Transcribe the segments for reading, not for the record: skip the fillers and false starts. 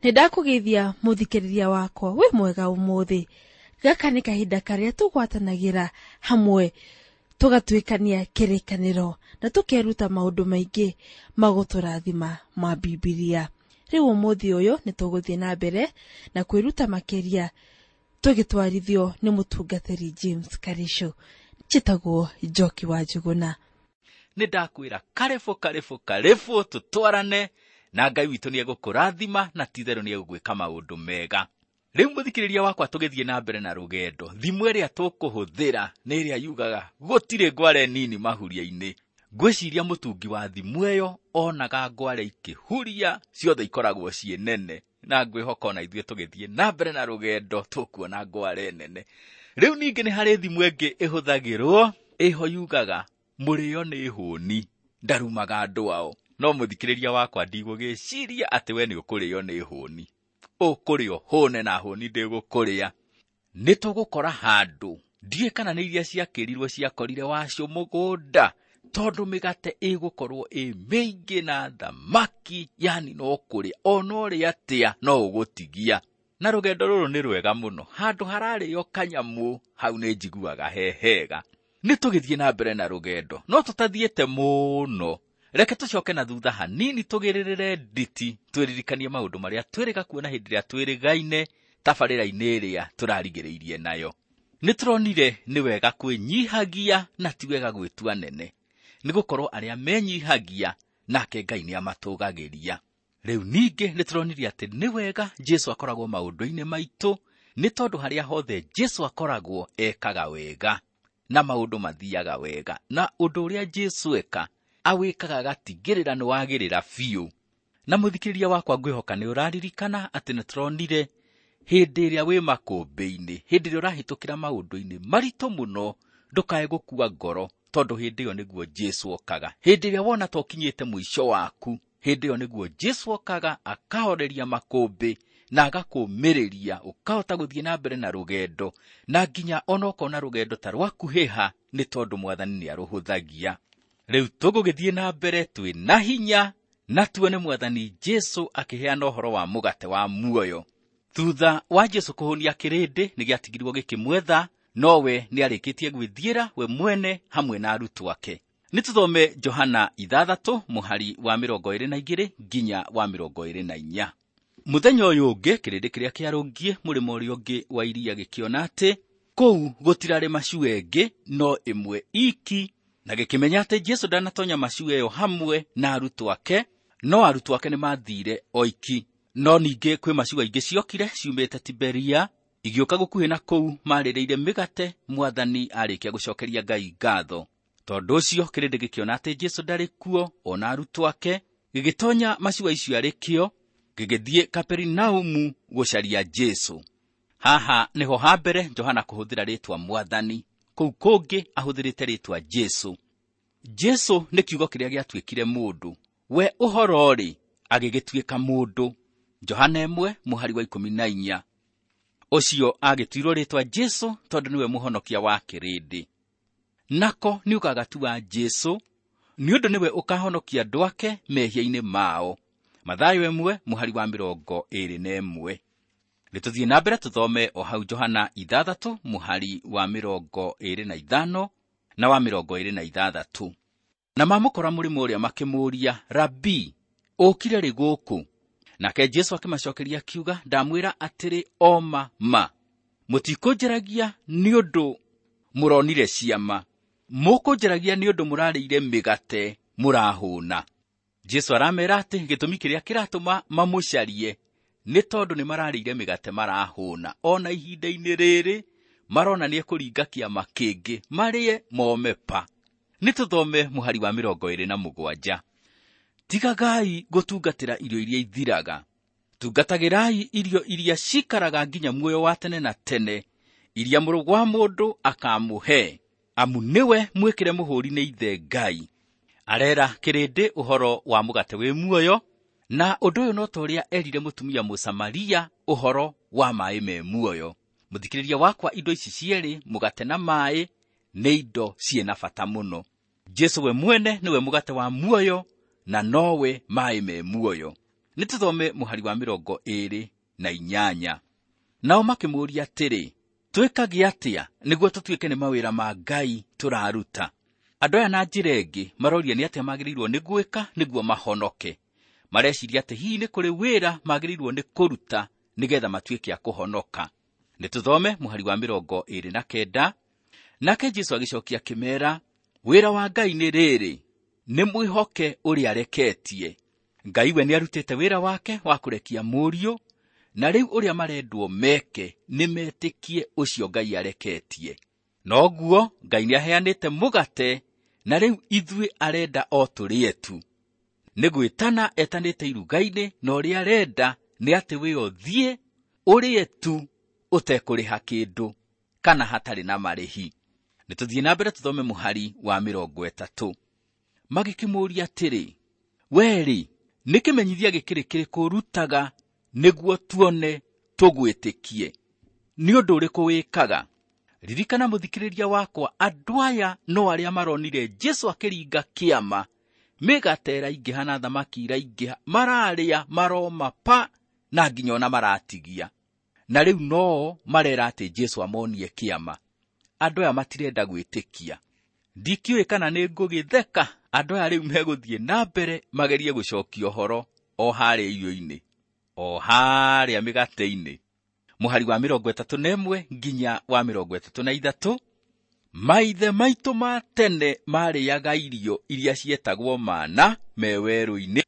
Nĩ ndakũgeithia mũthikĩrĩria wakwa wĩ mwega ũmũthĩ. Gaka nĩ kahinda karĩa tũgwatanagĩra hamwe tũgatuĩkania kĩrĩkanĩro na tũkeruta maũndũ maingĩ magũtũrathima ma Bibilia. Rĩu ũmũthĩ ũyũ nĩ tũgũthiĩ na mbere na kwĩruta makĩria tũgĩtwarithio nĩ mũtungatĩri James Karisho. Njĩtagwo Njoki wa Njũgũna. Nĩ ndakwĩra karĩbũ karĩbũ karĩbũ tũtwarane na Ngai witũ nĩ egũkũrathima na ti-itherũ nĩ egũgwĩka maũndũ mega. Rĩu mũthikĩrĩria wakwa tũgĩthiĩ na mbere na rũgendo, thimũ ĩrĩa tũkũhũthĩra nĩ ĩrĩa yugaga gũtirĩ ngware nini mahuria-inĩ. Ngwĩciria mũtungi wa thimũ ĩyo onaga ngware ikĩhuria ciothe ikoragwo ciĩ nene, na ngwĩhoka ona ithuĩ tũgĩthiĩ na mbere na rũgendo tũkuona ngware nene. Rĩu ningĩ nĩ harĩ thimũ ĩngĩ ĩhũthagĩrwo ĩho yugaga mũrĩo nĩ hũni ndarumaga andũ ao. No mũthikĩrĩria wakwa ndigũgĩciria atĩ we nĩ ũkũrĩo nĩ hũni, ũkũrĩo hũne na hũni ndĩgũkũrĩa. Nĩ tũgũkora handũ ndiũĩ kana nĩ iria ciakĩrirwo ciakorire wacio mũgũnda, tondũ mĩgate ĩgũkorwo ĩ mĩingĩ na thamaki, yani no kũrĩa ona ũrĩa atĩa no ũgũtigia. Na rũgendo rũrũ nĩ rwega mũno, handũ hararĩo kanyamũ hau nĩ njiguaga he hega. Nĩ tũgĩthiĩ na mbere na rũgendo, no tũtathiĩte mũno. Reke tũcoke na thutha hanini tũgĩrĩrĩre nditi, twĩririkanie maũndũ marĩa twĩrĩga kuona hĩndĩ ĩrĩa twĩrĩgaine tabarĩra-inĩ ĩrĩa tũrarigĩrĩirie nayo. Nĩ tũronire nĩ wega kwĩnyihagia na ti wega gwĩtua nene, nĩ gũkorwo arĩa menyihagia nake Ngai nĩ amatũgagĩria. Rĩu ningĩ nĩ tũronire atĩ nĩ wega Jesũ akoragwo maũndũ-inĩ maitũ, nĩ tondũ harĩa hothe Jesũ akoragwo ekaga wega na maũndũ mathiaga wega, na ũndũ ũrĩa Jesũ eka awĩkaga agatigĩrĩra nĩ wagĩrĩra biũ. Na mũthikĩrĩria wakwa ngwĩhoka nĩ ũraririkana atĩ nĩ tũronire hĩndĩ ĩrĩa wĩ makũmbĩ-inĩ, hĩndĩ ĩrĩa ũrahĩtũkĩra maũndũ-inĩ maritũ mũno, ndũkae gũkua ngoro, tondũ hĩndĩ ĩyo nĩguo Jesũ okaga. Hĩndĩ ĩrĩa wona ta ũkinyĩte mũico waku, hĩndĩ ĩyo nĩguo Jesũ okaga akahoreria makũmbĩ na agakũũmĩrĩria ũkahota gũthiĩ na mbere na rũgendo, na nginya ona ũkona rũgendo ta rwakuhĩha nĩ tondũ Mwathani nĩ arũhũthagia. Rĩu tũgũgĩthiĩ na mbere twĩ na hinya na tuone Mwathani Jesũ akĩheana ũhoro wa mũgate wa muoyo. Thutha wa Jesũ kũhũnia kĩrĩndĩ nĩ gĩatigirwo gĩkĩmwetha, nowe nĩ arĩkĩtie gwĩthiĩra we mwene hamwe na arutwo ake. Nĩ tũthome Johana 6 mũhari wa 22 nginya wa 24. Mũthenya ũyũ ũngĩ kĩrĩndĩ kĩrĩa kĩarũngiĩ mũrĩmo ũrĩa ũngĩ wa iria gĩkĩona atĩ kũu gũtirarĩ macua ĩngĩ no ĩmwe iki, na gĩkĩmenya atĩ Jesũ ndanatonya macua ĩyo hamwe na arutwo ake, no arutwo ake nĩmathire oiki. No ningĩ kwĩ macua ingĩ ciokire ciumĩte Tiberia igĩũka gũkuhĩ na kũu marĩrĩire mĩgate Mwathani arĩkia gũcokeria Ngai ngatho. Tondũ ũcio kĩrĩndĩ gĩkĩona atĩ Jesũ ndarĩ kuo ona arutwo ake, gĩgĩtonya macua icio arĩ kĩo, gĩgĩthiĩ Kaperinaumu gũcaria Jesũ. Haha nĩho ha mbere Johana kũhũthĩra rĩtwa Mwathani, kũu kũngĩ ahũthĩrĩte rĩtwa Jesũ. Jesũ nĩ kiugo kĩrĩa gĩatuĩkire mũndũ, we ũhoro-rĩ agĩgĩtuĩka mũndũ. Johana 1 mũhari wa 14. Ũcio agĩtuirwo rĩtwa Jesũ tondũ nĩwe mũhonokia wa kĩrĩndĩ. Nako nĩ ũgagatua Jesũ nĩ ũndũ nĩwe ũkahonokia andũ ake mehia-inĩ mao. Mathayo 1 mũhari wa 21. Nĩ tũthiĩ na mbere tũthome o hau Johana 6 mũhari wa 25 na wa 26. Na mamũkora mũrĩmo ũrĩa makĩmũũria, Rabii, ũkire rĩ gũkũ? Nake Jesũ akĩmacokeria akiuga, ndamwĩra atĩrĩ o ma ma, mũtikũnjaragia nĩ ũndũ mũronire ciama, mũkũnjaragia nĩ ũndũ mũrarĩire mĩgate mũrahũna. Jesũ aramera atĩ gĩtũmi kĩrĩa kĩratũma mamũcarie nĩ tondũ nĩ mararĩire mĩgate marahũna. Ona ihinda-inĩ rĩrĩ marona nĩ ekũringa kĩama kĩngĩ marĩe mome pa. Nĩ tũthome mũhari wa 27. Tigagai gũtungatĩra irio iria ithiraga, tungatagĩrai irio iria cikaraga nginya muoyo wa tene na tene, iria Mũrũ wa Mũndũ akamũhe, amu nĩwe mwĩkĩre mũhũri nĩ Ithe Ngai. Arera kĩrĩndĩ ũhoro wa mũgate wĩ muoyo, na ũndũ ũyũ no ta ũrĩa erire mũtumia Mũsamaria ũhoro wa maĩ me muoyo. Mũthikĩrĩria wakwa, indo ici cierĩ, mũgate na maĩ, nĩ indo ciĩna bata mũno. Jesũ we mwene nĩwe mũgate wa muoyo na nowe maĩ me muoyo. Nĩ tũthome mũhari wa 28. Nao makĩmũũria atĩrĩ, twĩkage atĩa nĩguo tũtuĩke nĩ mawĩra ma Ngai tũraruta? Andũ aya na njĩra ĩngĩ maroria nĩ atĩa magĩrĩirwo nĩ gwĩka nĩguo mahonoke. Mareciria atĩ hihi nĩ kũrĩ wĩra magĩrĩirwo nĩ kũruta nĩgetha matuĩke a kũhonoka. Nĩ tũthome mũhari wa 29. Nake Jesũ agĩcokia akĩmeera, wĩra wa Ngai nĩ rĩrĩ, nĩ mwĩhoke ũrĩa areketie. Ngai we nĩarutĩte wĩra wake wa kũrekia mũriũ, na rĩu ũrĩa marendwo meke nĩ metĩkie ũcio Ngai areketie. Noguo Ngai nĩaheanĩte mũgate, na rĩu ithuĩ arenda o tũrĩe tu. Nĩ gwĩtana etanĩte iruga-inĩ, na ũrĩa arenda nĩ atĩ we ũthiĩ ũrĩe tu ũtekũrĩha kĩndũ kana hatarĩ na marĩhi. Nĩ tũthiĩ na mbere tũthome mũhari wa 30. Magĩkĩmũũria atĩrĩ, we-rĩ, nĩ kĩmenyithia gĩkĩrĩ kĩrĩkũ ũrutaga nĩguo tuone tũgwĩtĩkie? Nĩ ũndũ ũrĩkũ wĩkaga? Ririkana mũthikĩrĩria wakwa, andũ aya no arĩa maronire Jesũ akĩringa kĩama, mĩgate ĩraingĩha na thamaki iraingĩha, mararĩa maroma pa na nginya ona maratigia. Na rĩu no marera atĩ Jesũ amonie kĩama. Andũ aya matirenda gwĩtĩkia. Ndikĩũĩ kana nĩ ngũgĩtheka, andũ aya rĩu megũthiĩ na mbere magerie gũcokia ũhoro o harĩa irio-inĩ, o harĩa mĩgate-inĩ. Mũhari wa 31 nginya wa 33. Maithe maitũ ma tene marĩaga irio iria cietagwo mana me werũ-inĩ,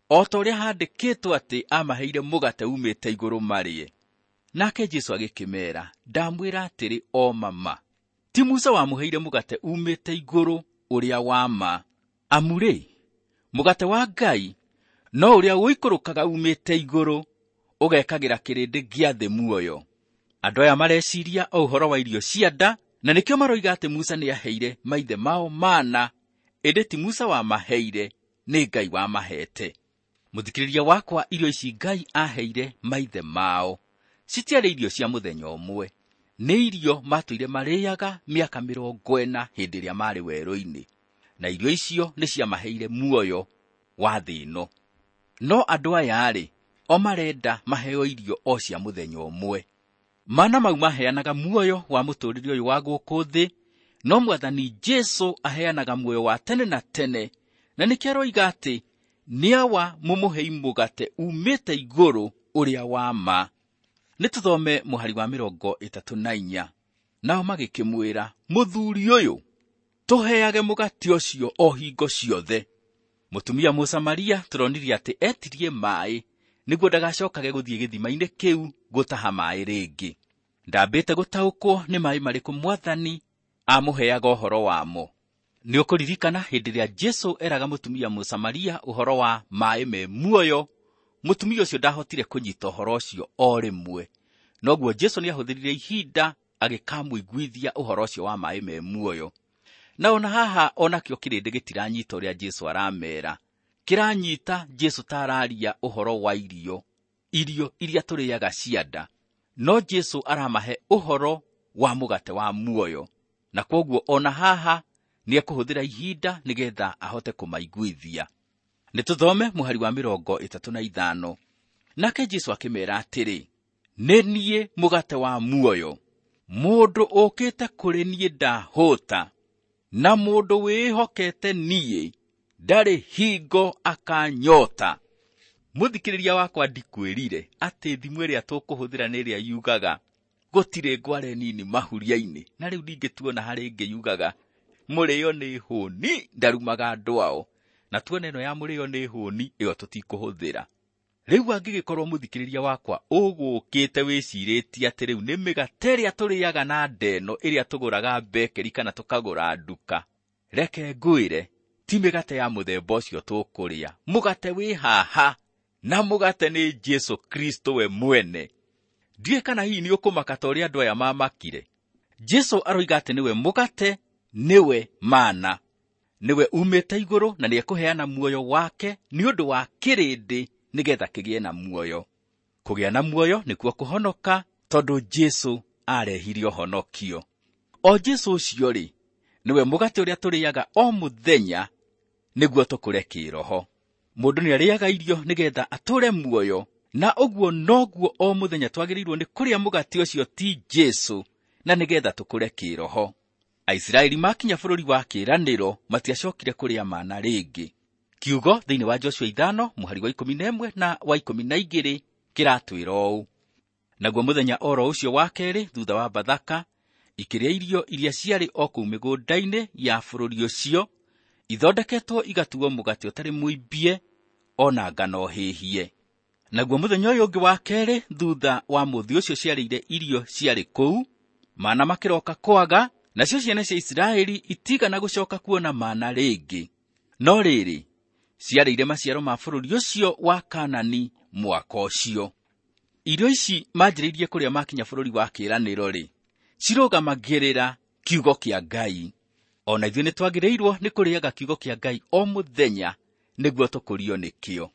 o ta ũrĩa handĩkĩtwo atĩ amaheire mũgate umĩte igũrũ marĩe. Nake Jesũ agĩkĩmeera, ndamwĩra atĩrĩ o mama, ti Musa wamũheire mũgate umĩte igũrũ ũrĩa wa ma. Amu-rĩ, mũgate wa Ngai no ũrĩa ũikũrũkaga umĩte igũrũ ũgekagĩra kĩrĩndĩ gĩa thĩ muoyo. Andũ aya mareciria o ũhoro wa irio cia nda, na nĩkĩo maroiga atĩ Musa nĩaheire maithe mao mana, ĩndĩ ti Musa wamaheire, nĩ Ngai wamahete. Mũthikĩrĩria wakwa, irio ici Ngai aheire maithe mao citiarĩ irio cia mũthenya ũmwe, nĩ irio matũire marĩaga mĩaka 40 hĩndĩ ĩrĩa marĩ werũ-inĩ, na irio icio nĩ ciamaheire muoyo wa thĩ ĩno. No andũ aya-rĩ, o marenda maheo irio o cia mũthenya ũmwe. Mana mau maheanaga muoyo wa mũtũũrĩre ũyũ wa gũkũ thĩ, no Mwathani Jesũ aheanaga muoyo wa tene na tene, na nĩkĩo aroiga atĩ nĩ awa mũmũhei mũgate umĩte igũrũ ũrĩa wa ma. Nĩ tũthome mũhari wa 34. Nao magĩkĩmwĩra, mũthuri ũyũ, tũheage mũgate ũcio o hingo ciothe. Mũtumia Mũsamaria tũronirie atĩ etirie maĩ nĩguo ndagacokage gũthiĩ gĩthima-inĩ kĩu gũtaha maĩ rĩngĩ. Ndambĩte gũtaũkwo nĩ maĩ marĩkũ Mwathani amũheaga ũhoro wamo. Nĩ ũkũririkana hĩndĩ ĩrĩa Jesũ eraga mũtumia Mũsamaria ũhoro wa maĩ me muoyo, mũtumia ũcio ndahotire kũnyita ũhoro ũcio o rĩmwe. Noguo Jesũ nĩahũthĩrire ihinda agĩkamũiguithia ũhoro ũcio wa maĩ me muoyo. Na ona haha onakĩo kĩrĩndĩ gĩtiranyita ũrĩa Jesũ aramera. Kĩranyita Jesũ ta araria ũhoro wa irio, irio iria tũrĩaga cia nda. No Jesũ aramahe ũhoro wa mũgate wa muoyo. Na kwoguo ona haha nĩekũhũthĩra ihinda nĩgetha ahote kũmaiguithia. Nĩ tũthome mũhari wa 35. Nake Jesũ akĩmeera atĩrĩ, nĩ niĩ mũgate wa muoyo. Mũndũ ũkĩte kũrĩ niĩ ndahũta, na mũndũ wĩhokete niĩ ndarĩ hingo akanyota. Mũthikĩrĩria wakwa, ndikwĩrire atĩ thimũ ĩrĩa tũkũhũthĩra nĩ ĩrĩa yugaga gũtirĩ ngware nini mahuria-inĩ, na rĩu ningĩ tuona harĩ ĩngĩ yugaga mũrĩo nĩ hũni ndarumaga andũ ao, na tuona ĩno ya mũrĩo nĩ hũni ĩyo tũtikũhũthĩra. Rĩu angĩgĩkorwo mũthikĩrĩria wakwa ũgũkĩte wĩcirĩtie atĩ rĩu nĩ mĩgate ĩrĩa tũrĩaga na ndeno ĩrĩa tũgũraga bekeri kana tũkagũra nduka, reke ngwĩre ti mĩgate ya mũthemba ũcio tũkũrĩa. Mũgate wĩ haha, na mũgate nĩ Jesũ Kristo we mwene. Ndiũĩ kana hihi nĩ ũkũmaka ta ũrĩa andũ aya mamakire. Jesũ aroiga atĩ nĩwe mũgate, nĩwe mana, nĩwe umĩte igũrũ na nĩekũheana muoyo wake nĩ ũndũ wa kĩrĩndĩ nĩgetha kĩgĩe na muoyo. Kũgĩa na muoyo nĩkuo kũhonoka, tondũ Jesũ arehire ũhonokio. O Jesũ ũcio rĩ, nĩwe mũgate ũrĩa tũrĩaga o mũthenya nĩguo tũkũre kĩĩroho. Mũndũ nĩarĩaga irio nĩgetha atũũre muoyo, na ũguo noguo o mũthenya twagĩrĩirwo nĩ kũrĩa mũgate ũcio ti Jesũ, na nĩgetha tũkũre kĩĩroho. Aisiraeli makinya bũrũri wa kĩĩranĩro matiacokire kũrĩa mana rĩngĩ. Kiugo thĩinĩ wa Joshua 5 mũhari wa 11 na wa 12 kĩratwĩra ũũ: naguo mũthenya oro ũcio wa kerĩ thutha wa Bathaka, ikĩrĩa irio iria ciarĩ o kũu mĩgũnda-inĩ ya bũrũri ũcio, ithondeketwo igatuo mũgate ũtarĩ mũimbie o na ngano hĩhie. Naguo mũthenya ũyũ ũngĩ wa kerĩ thutha wa mũthĩ ũcio ciarĩire irio ciarĩ kũu, mana makĩroka kwaga, nacio ciana cia Isiraeli itigana gũcoka kuona mana rĩngĩ. No rĩrĩ, ciarĩire maciaro ma bũrũri ũcio wa Kaanani mwaka ũcio. Irio ici manjĩrĩirie kũrĩa makinya bũrũri wa kĩĩranĩro-rĩ, cirũgamagĩrĩra kiugo kĩa Ngai. O na ithuĩ nĩtwagĩrĩirwo nĩ kũrĩaga kiugo kĩa Ngai o mũthenya nĩguo tũkũrio nĩkĩo.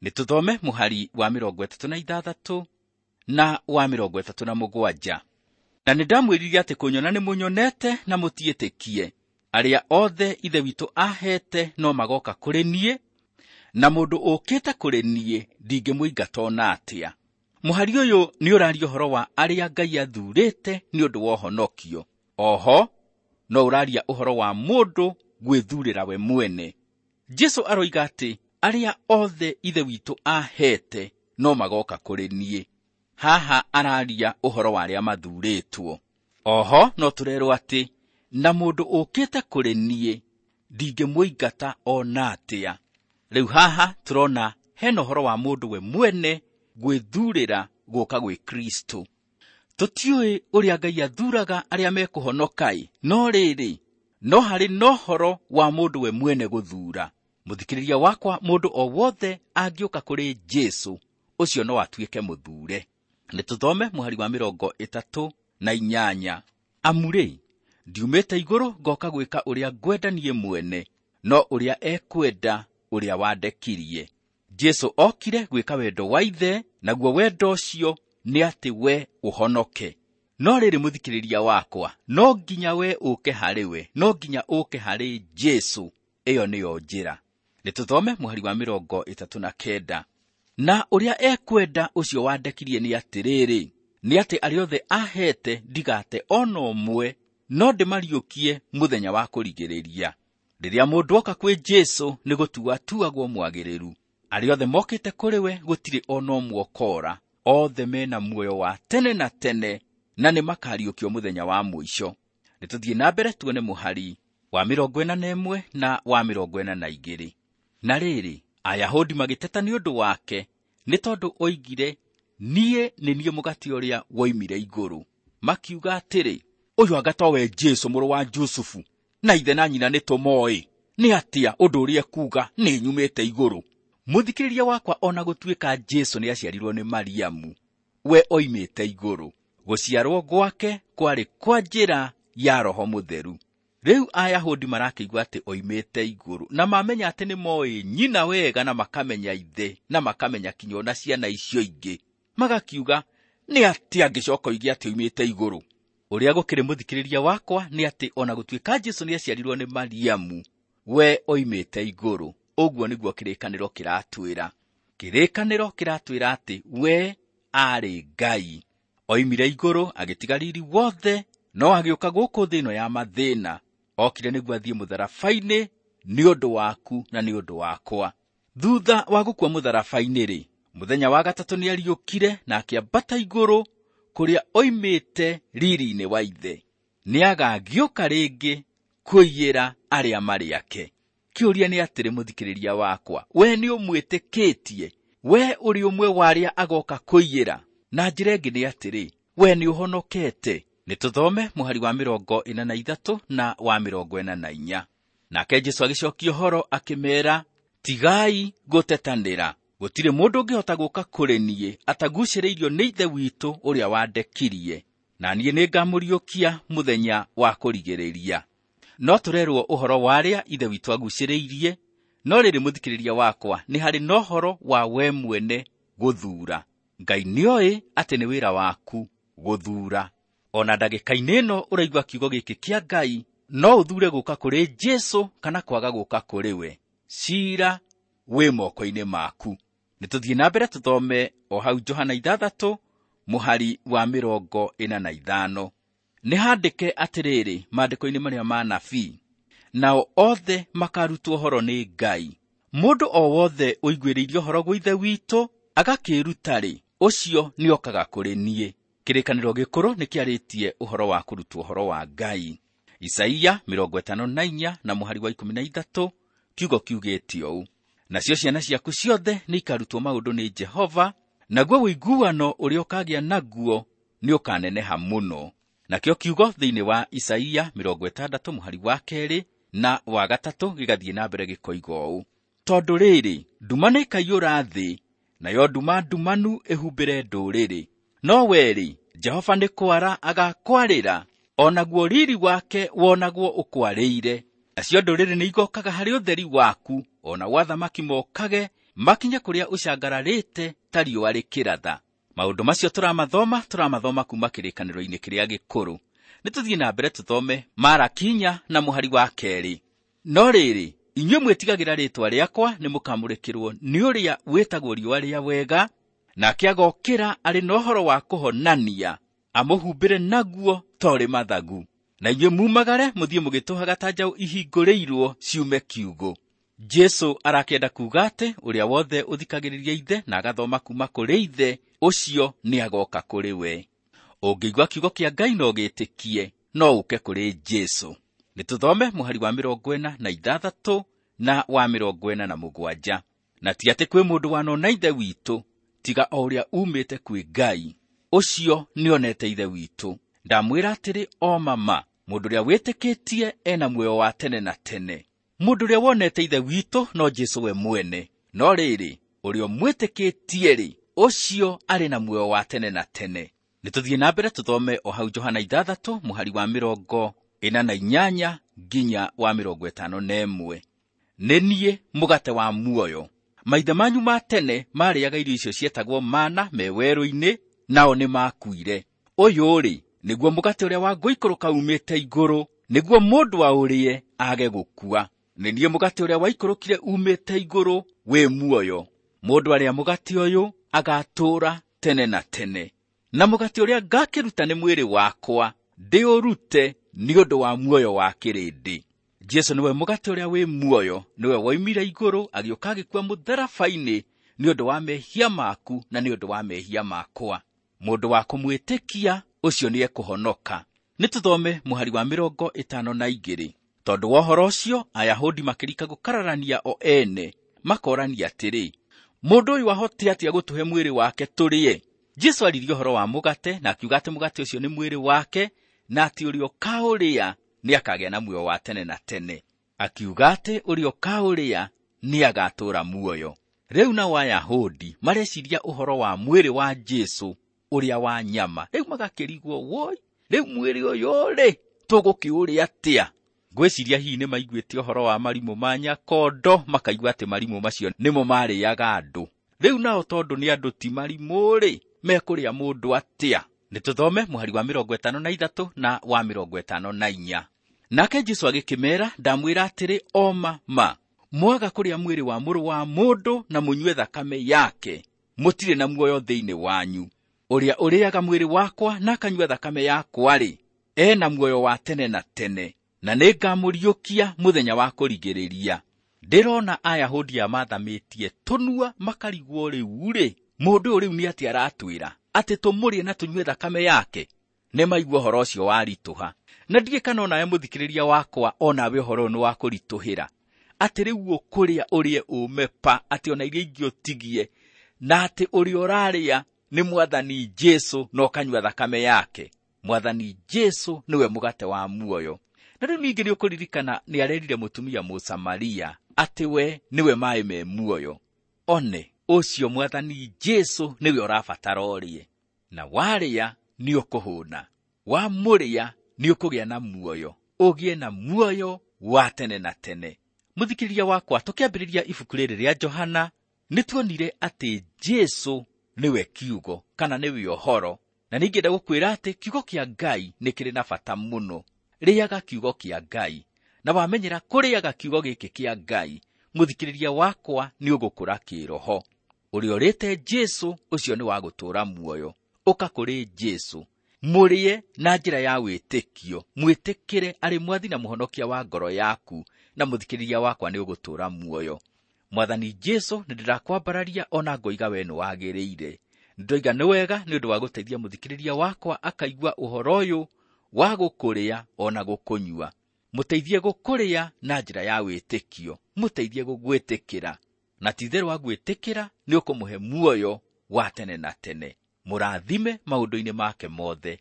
Nĩtũthome mũhari wa 36 na wa 37. Na nĩndamwĩrire atĩ kũnyona nĩmũnyonete na mũtiĩtĩkie. Arĩa othe Ithe witũ aheete no magoka kũrĩ niĩ, na mũndũ ũkĩte kũrĩ niĩ ndingĩmũingata ona atĩa. Mũhari ũyũ nĩ ũraria ũhoro wa arĩa Ngai athuurĩte nĩ ũndũ wa ũhonokio. Oho no ũraria ũhoro wa mũndũ gwĩthurĩra we mwene. Jesũ aroiga atĩ arĩa othe Ithe witũ aheete no magoka kũrĩ niĩ. Haha araria ũhoro wa arĩa mathuurĩtwo. Oho no tũrerwo atĩ na mũndũ ũkĩte kũrĩ niĩ ndingĩmũingata ona atĩa. Rĩu haha tũrona hena ũhoro wa mũndũ we mwene gwĩthurĩra gũka gwĩ Kristo. Tũtiũĩ ũrĩa Ngai athuuraga arĩa mekũhonoka-ĩ, no rĩrĩ, no harĩ na ũhoro wa mũndũ we mwene gũthuura. Mũthikĩrĩria wakwa, mũndũ o wothe angĩũka kũrĩ Jesũ, ũcio no atuĩke mũthuure. Nĩtũthome mũhari wa 38. Amu-rĩ, ndiumĩte igũrũ ngoka gwĩka ũrĩa ngwenda niĩ mwene, no ũrĩa ekwenda ũrĩa wandekirie. Jesũ okire gwĩka wendo wa Ithe, naguo wendo ũcio nĩ atĩ we ũhonoke. No rĩrĩ, mũthikĩrĩria wakwa, no nginya we ũke harĩ we, no nginya ũke harĩ Jesũ. Ĩyo nĩyo njĩra. Nĩtũthome mũhari wa 39. Na ũrĩa ekwenda ũcio wandekirie nĩ atĩrĩrĩ, nĩ atĩ arĩa othe aheete ndigate ona ũmwe, no ndĩmariũkie mũthenya wa kũrigĩrĩria. Rĩrĩa mũndũ oka kwĩ Jesũ nĩ gũtua atuagwo mwagĩrĩru. Arĩa othe mokĩte kũrĩ we gũtirĩ ona ũmwe ũkora, othe mena muoyo wa tene na tene, na nĩmakariũkio mũthenya wa mũico. Nĩtũthiĩ na mbere tuone mũhari wa 41 na wa 42. Na rĩrĩ, Ayahudi magĩteta nĩ ũndũ wake, nĩ tondũ oigire, niĩ nĩ niĩ mũgate ũrĩa woimire igũrũ. Makiuga atĩrĩ, ũyũ anga towe Jesũ mũrũ wa Jusufu, na ithe na nyina nĩtũmoĩ. Nĩ atĩa ũndũ ũrĩa ekuuga nĩ nyumĩte igũrũ? Mũthikĩrĩria wakwa, ona gũtuĩka Jesũ nĩaciarirwo nĩ Mariamu, we oimĩte igũrũ. Gũciarwo gwake kwarĩ kwa njĩra ya Roho Mũtheru. Rĩu Ayahudi marakĩigua atĩ oimĩte igũrũ, na mamenya atĩ nĩmoĩ nyina wega, na makamenya ithe, na makamenya kinya ona ciana icio ingĩ. Magakiuga, nĩ atĩa angĩcoka oige atĩ oimĩte igũrũ? Ũrĩa gũkĩrĩ, mũthikĩrĩria wakwa, nĩ atĩ ona gũtuĩka Jesũ nĩaciarirwo nĩ Mariamu, we oimĩte igũrũ. Ũguo nĩguo kĩrĩkanĩro kĩratwĩra. Kĩrĩkanĩro kĩratwĩra atĩ we aarĩ Ngai. Oimire igũrũ agĩtiga riri wothe, no agĩũka gũkũ thĩ ĩno ya mathĩna. Okire nĩguo athiĩ mũtharaba-inĩ nĩ ũndũ waku na nĩ ũndũ wakwa. Thutha wa gũkua mũtharaba-inĩ-rĩ, mũthenya wa gatatũ nĩariũkire na akĩambata igũrũ kũrĩa oimĩte riri-inĩ wa Ithe. Nĩagagĩũka rĩngĩ kũiyĩra arĩa marĩ ake. Kĩũria nĩ atĩrĩ, mũthikĩrĩria wakwa, we nĩũmwĩtĩkĩtie? We ũrĩ ũmwe wa arĩa agoka kũiyĩra? Na njĩra ĩngĩ nĩ atĩrĩ, we nĩũhonokete? Nĩtũthome mũhari wa 43 na wa 44. Nake Jesũ agĩcokia ũhoro akĩmeera, tigai gũtetanĩra. Gũtirĩ mũndũ ũngĩhota gũka kũrĩ niĩ atagucĩrĩirio nĩ Ithe witũ ũrĩa wandekirie, na niĩ nĩngamũriũkia mũthenya wa kũrigĩrĩria. No tũrerwo ũhoro wa arĩa Ithe witũ agucĩrĩirie, no rĩrĩ, mũthikĩrĩria wakwa, nĩ harĩ na ũhoro wa we mwene gũthuura. Ngai nĩoĩ atĩ nĩ wĩra waku gũthuura. Ona ndagĩka-inĩ ĩno ũraigua kiugo gĩkĩ kĩa Ngai, no ũthuure gũka kũrĩ Jesũ kana kwaga gũka kũrĩ we. Ciira wĩ moko-inĩ maku. Nĩ tũthiĩ na mbere tũthome o hau Johana 6 mũhari wa 45. Nĩ handĩke atĩrĩrĩ maandĩko-inĩ marĩa ma nabii, nao othe makarutwo ũhoro nĩ Ngai. Mũndũ o wothe ũiguĩrĩirie ũhoro gwĩ Ithe witũ agakĩĩruta-rĩ, ũcio nĩokaga kũrĩ niĩ. Kĩrĩkanĩro gĩkũrũ nĩkĩarĩtie ũhoro wa kũrutwo ũhoro wa Ngai. Isaia 54 na mũhari wa 13 kiugo kiugĩte ũũ: nacio ciana ciaku ciothe nĩikarutwo maũndũ nĩ Jehova, naguo ũiguano ũrĩa ũkagĩa naguo nĩũkaneneha mũno. Nakĩo kiugo thĩinĩ wa Isaia 60 mũhari wa 2 na wa 3 gĩgathiĩ na mbere gĩkoiga ũũ: tondũ rĩrĩ, nduma nĩĩkaiyũra thĩ, nayo nduma ndumanu ĩhumbĩre ndũrĩrĩ. No we-rĩ, Jehova nĩ kwara agakwarĩra, o naguo riri wake wonagwo ũkwarĩire. Nacio ndũrĩrĩ nĩigokaga harĩ ũtheri waku, o nao athamaki mokage makinye kũrĩa ũcangararĩte ta riũa rĩkĩratha. Maũndũ macio tũramathoma kuma kĩrĩkanĩro-inĩ kĩrĩa gĩkũrũ. Nĩ tũthiĩ na mbere tũthome Maraki 4 na mũhari wa 2. No rĩrĩ, inyuĩ mwĩtigagĩra rĩĩtwa rĩakwa nĩmũkamũrĩkĩrwo nĩ ũrĩa wĩtagwo riũa rĩa wega, nake agokĩra arĩ na ũhoro wa kũhonania, amũhumbĩre naguo ta ũrĩ mathagu. Na inyuĩ mumagare mũthiĩ mũgĩtũhaga ta njaũ ihingũrĩirwo ciume kiugũ. Jesũ arakĩenda kuuga atĩ ũrĩa wothe ũthikagĩrĩria Ithe na agathoma kuma kũrĩ Ithe, ũcio nĩagoka kũrĩ we. Ũngĩigua kiugo kĩa Ngai na ũgĩtĩkie, no ũke kũrĩ Jesũ. Nĩ tũthome mũhari wa 46 na wa 47. Na ti atĩ kwĩ mũndũ wanona Ithe witũ, tiga o ũrĩa umĩte kwĩ Ngai, ũcio nĩonete Ithe witũ. Ndamwĩra atĩrĩ o mama, mũndũ ũrĩa wĩtĩkĩtie ena muoyo wa tene na tene. Mũndũ ũrĩa wonete Ithe witũ no Jesũ we mwene. No rĩrĩ, ũrĩa ũmwĩtĩkĩtie-rĩ, ũcio arĩ na muoyo wa tene na tene. Nĩ tũthiĩ na mbere tũthome o hau Johana 6 mũhari wa 48 nginya wa 51. Nĩ niĩ mũgate wa muoyo. Maithe manyu ma tene marĩaga irio icio cietagwo mana me werũ-inĩ, nao nĩmakuire. Ũyũ-rĩ, nĩguo mũgate ũrĩa wa gũikũrũka umĩte igũrũ, nĩguo mũndũ aũrĩe age gũkua. Nĩ niĩ mũgate ũrĩa waikũrũkire umĩte igũrũ wĩ muoyo. Mũndũ arĩa mũgate ũyũ agatũũra tene na tene. Na mũgate ũrĩa ngakĩruta nĩ mwĩrĩ wakwa, ndĩũrute nĩ ũndũ wa muoyo wa kĩrĩndĩ. Jesũ nĩwe mũgate ũrĩa wĩ muoyo, nĩwe woimire igũrũ agĩũka agĩkua mũtharaba-inĩ nĩ ũndũ wa mehia maku na nĩ ũndũ wa mehia makwa. Mũndũ wa kũmwĩtĩkia ũcio nĩekũhonoka. Nĩ tũthome mũhari wa 52. Tondũ wa ũhoro ũcio, Ayahudi makĩrika gũkararania o ene, makorania atĩrĩ, mũndũ ũyũ ahote atĩa gũtũhe mwĩrĩ wake tũrĩe? Jesũ aririe ũhoro wa mũgate na akiuga atĩ mũgate ũcio nĩ mwĩrĩ wake, na atĩ ũrĩa ũkaũrĩa nĩakagĩa na muoyo wa tene na tene. Akiuga atĩ ũrĩa ũkaũrĩa nĩagatũũra muoyo. Rĩu nao Ayahudi mareciria ũhoro wa mwĩrĩ wa Jesũ ũrĩa wa nyama. Rĩu magakĩrigwo, woi, rĩu mwĩrĩ ũyũ-rĩ, tũgũkĩũrĩa atĩa? Ngwĩciria hihi nĩmaiguĩte ũhoro wa marimũ ma Nyakondo, makaigua atĩ marimũ macio nĩmo marĩaga andũ. Rĩu nao tondũ nĩ andũ ti marimũ-rĩ, mekũrĩa mũndũ atĩa? Nĩ tũthome mũhari wa 53 na wa 54. Nake Jesũ agĩkĩmeera, ndamwĩra atĩrĩ o ma ma, mwaga kũrĩa mwĩrĩ wa mũrũ wa mũndũ na mũnyue thakame yake, mũtirĩ na muoyo thĩinĩ wanyu. Ũrĩa ũrĩaga mwĩrĩ wakwa na akanyua thakame yakwa-rĩ, ena muoyo wa tene na tene, na nĩngamũriũkia mũthenya wa kũrigĩrĩria. Ndĩrona Ayahudi aya mathamĩtie tũnua makarigwo rĩu-rĩ, mũndũ ũyũ rĩu nĩ atĩa aratwĩra atĩ tũmũrĩe na tũnyue thakame yake? Nĩmaigua ũhoro ũcio waritũha. Na ndiũĩ kana onawe mũthikĩrĩria wakwa onawe ũhoro ũyũ nĩ wa kũritũhĩra, atĩ rĩu ũkũrĩa ũrĩe ũme pa, atĩ ona iria ingĩ ũtigie, na atĩ ũrĩa ũrarĩa nĩ Mwathani Jesũ na ũkanyua thakame yake. Mwathani Jesũ nĩwe mũgate wa muoyo. Na rĩu ningĩ nĩũkũririkana nĩarerire mũtumia Mũsamaria atĩ we nĩwe maĩ me muoyo. One, ũcio Mwathani Jesũ nĩwe ũrabatara ũrĩe, na warĩa nĩũkũhũna, wamũrĩa nĩũkũgĩa na muoyo, ũgĩe na muoyo wa tene na tene. Mũthikĩrĩria wakwa, tũkĩambĩrĩria ibuku rĩrĩ rĩa Johana, nĩtuonire atĩ Jesũ nĩwe kiugo kana nĩwe ũhoro. Na ningĩenda gũkwĩra atĩ kiugo kĩa Ngai nĩ kĩrĩ na bata mũno. Rĩaga kiugo kĩa Ngai, na wamenyera kũrĩaga kiugo gĩkĩ kĩa Ngai, Mũthikĩrĩria wakwa, nĩ ũgũkũra kĩĩroho. Ũrĩa ũrĩte Jesũ, ũcio nĩ wa gũtũũra muoyo. Ũka kũrĩ Jesũ, mũrĩe na njĩra ya wĩtĩkio, mwĩtĩkĩre arĩ mwathi na mũhonokia wa ngoro yaku, na mũthikĩrĩria wakwa nĩ ũgũtũũra muoyo. Mwathani Jesũ, nĩ ndĩrakwambararia ona ngoiga we nĩ wagĩrĩire. Ndoiga nĩ wega nĩ ũndũ wa gũteithia mũthikĩrĩria wakwa akaigua ũhoro ũyũ wa gũkũrĩa ona gũkũnyua. Mũteithie gũkũrĩa na njĩra ya wĩtĩkio, mũteithie gũgwĩtĩkĩra, na ti-itherũ wa gwĩtĩkĩra nĩ ũkũmũhe muoyo wa tene na tene. Mũrathime maũndũ-inĩ make mothe.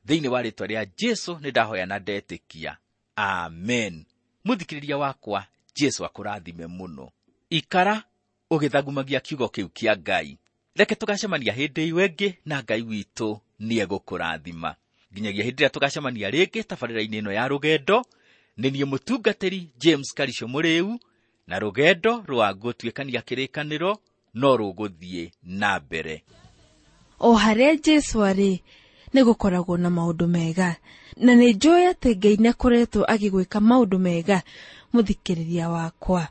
Thĩinĩ wa rĩĩtwa rĩa Jesũ nĩ ndahoya na ndetĩkia. Amen. Mũthikĩrĩria wakwa, Jesũ akũrathime mũno. Ikara ũgĩthagumagia kiugo kĩu kĩa Ngai. Reke tũgacemania hĩndĩ ĩyo ĩngĩ, na Ngai witũ nĩegũkũrathima. Nginyagia hĩndĩ ĩrĩa tũgacemania rĩngĩ tabarĩra-inĩ ĩno ya rũgendo, nĩ niĩ mũtungatĩri James Karisho Mũrĩu, na rũgendo rwa gũtuĩkania kĩrĩkanĩro no rũgũthiĩ na mbere. O harĩa Jesũ arĩ, nĩ gũkoragwo na maũndũ mega, na nĩ njũĩ atĩ Ngai nĩ akoretwo agĩgwĩka maũndũ mega. Mũthikĩrĩria wakwa,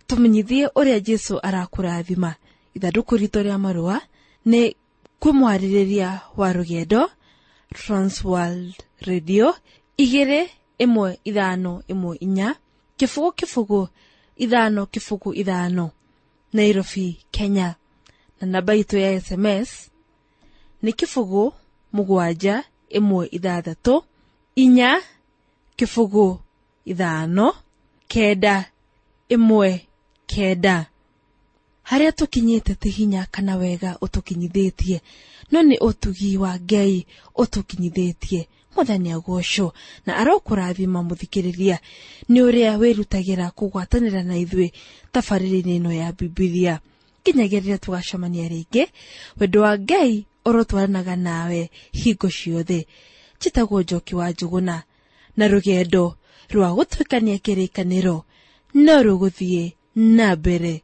tũmenyithie ũrĩa Jesũ arakũrathima. Ithandũkũ ritũ rĩa marũa nĩ kwĩ mwarĩrĩria wa rũgendo, Transworld Radio 21514 0 0 5 0 5, Nairobi, Kenya. Na namba itũ ya SMS nĩ 0 7 1 6 4 0 5 9 1 9. Harĩa tũkinyĩte ti hinya kana wega ũtũkinyithĩtie, no nĩ ũtugi wa Ngai ũtũkinyithĩtie. Mwathani agocwo na arokũrathima mũthikĩrĩria nĩ ũrĩa wĩrutagĩra kũgwatanĩra na ithuĩ tabarĩra-inĩ ĩno ya Bibilia. Nginyagia rĩrĩa tũgacemania rĩngĩ, wendo wa Ngai ũrotwaranaga nawe hingo ciothe. Njĩtagwo Njoki wa Njũgũna, na rũgendo rwa gũtuĩkania kĩrĩkanĩro no rũgũthiĩ na mbere.